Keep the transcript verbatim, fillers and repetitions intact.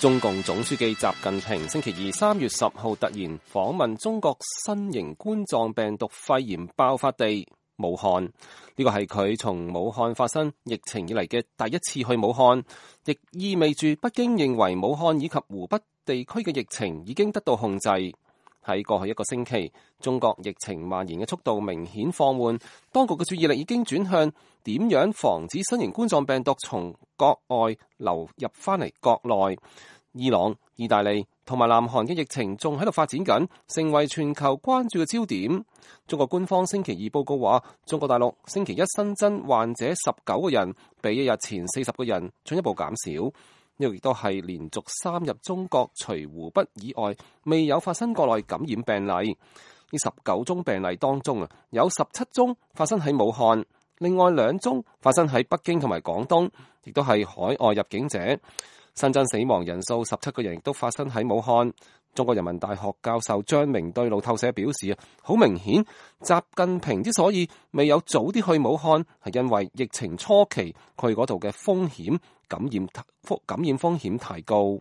中共總書記習近平星期二三月十號突然訪問中國新型冠狀病毒肺炎爆發地武漢，呢個係佢從武漢發生疫情以嚟嘅第一次去武漢，亦意味住北京認為武漢以及湖北地區嘅疫情已經得到控制。喺過去一個星期，中國疫情蔓延嘅速度明顯放緩，當局嘅注意力已經轉向點樣防止新型冠狀病毒從國外流入翻嚟國內。伊朗、意大利同埋南韓嘅疫情仲喺度發展緊，成為全球關注嘅焦點。中國官方星期二報告話，中國大陸星期一新增患者十九個人，比一日前四十個人進一步減少。呢個亦都係連續三日中國除湖北以外未有發生國內感染病例。呢十九宗病例當中啊，有十七宗發生喺武漢，另外兩宗發生喺北京同埋廣東，亦都係海外入境者。新增死亡人數十七個人，亦都發生喺武漢。中國人民大學教授張明對路透社表示啊，好明顯，習近平之所以未有早啲去武漢，係因為疫情初期佢嗰度嘅風險感染感染風險太高。